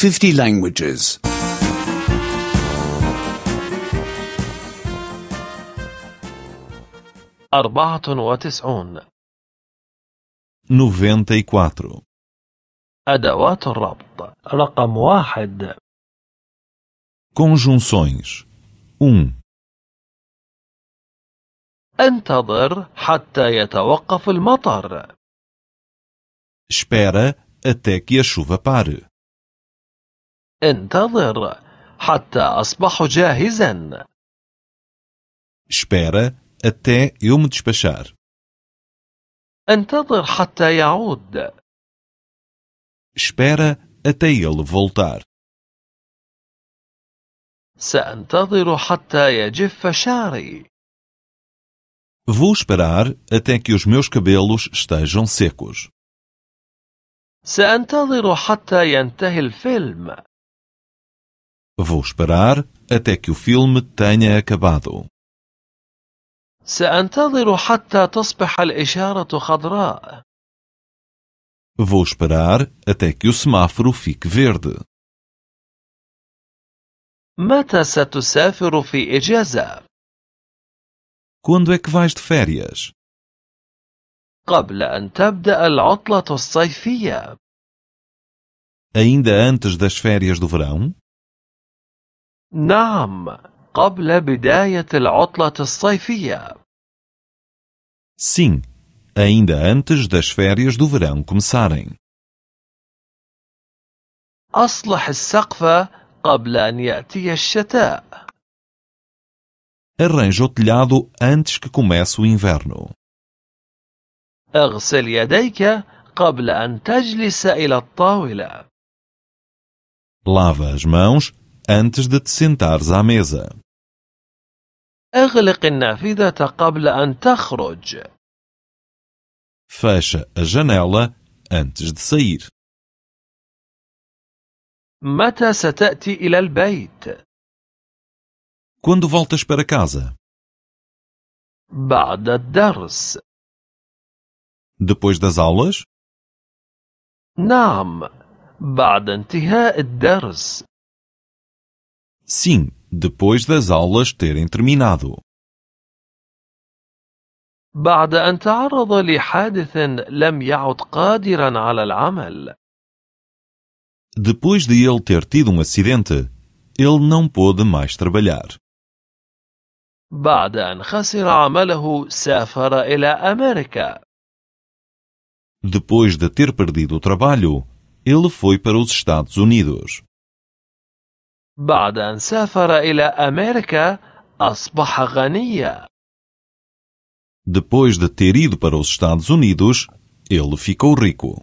50 languages. 94. 94. أدوات الربط. رقم 1. Conjunções. 1. انتظر حتى يتوقف المطر. Espera até que a chuva pare. انتظر حتى أصبح جاهزا. Espera até eu me despachar. انتظر حتى يعود. Espera até ele voltar. سأنتظر حتى يجف شعري. Vou esperar até que os meus cabelos estejam secos. سأنتظر حتى ينتهي الفيلم. Vou esperar até que o filme tenha acabado. سأنتظر حتى تصبح الإشارة خضراء. Vou esperar até que o semáforo fique verde. متى ستسافر في إجازة؟ Quando é que vais de férias? قبل أن تبدأ العطلة الصيفية. Ainda antes das férias do verão? نعم، قبل بداية العطلة الصيفية. Sim, ainda antes das férias do verão começarem. أصلح السقف قبل أن يأتي الشتاء. Arranja o telhado antes que comece o inverno. اغسل يديك قبل أن تجلس إلى الطاولة. Lava as mãos antes de te sentares à mesa. اغلق النافذة قبل أن تخرج. Fecha a janela antes de sair. متى ستأتي إلى البيت؟ Quando voltas para casa? بعد الدرس. Depois das aulas? نعم، بعد انتهاء الدرس. Sim, depois das aulas terem terminado. بعد أن تعرض لحادث لم يعد قادرا على العمل. Depois de ele ter tido um acidente, ele não pôde mais trabalhar. بعد أن خسر عمله سافر إلى أمريكا. Depois de ter perdido o trabalho, ele foi para os Estados Unidos. بعد أن سافر إلى أمريكا أصبح غنيا. Depois de ter ido para os Estados Unidos, ele ficou rico.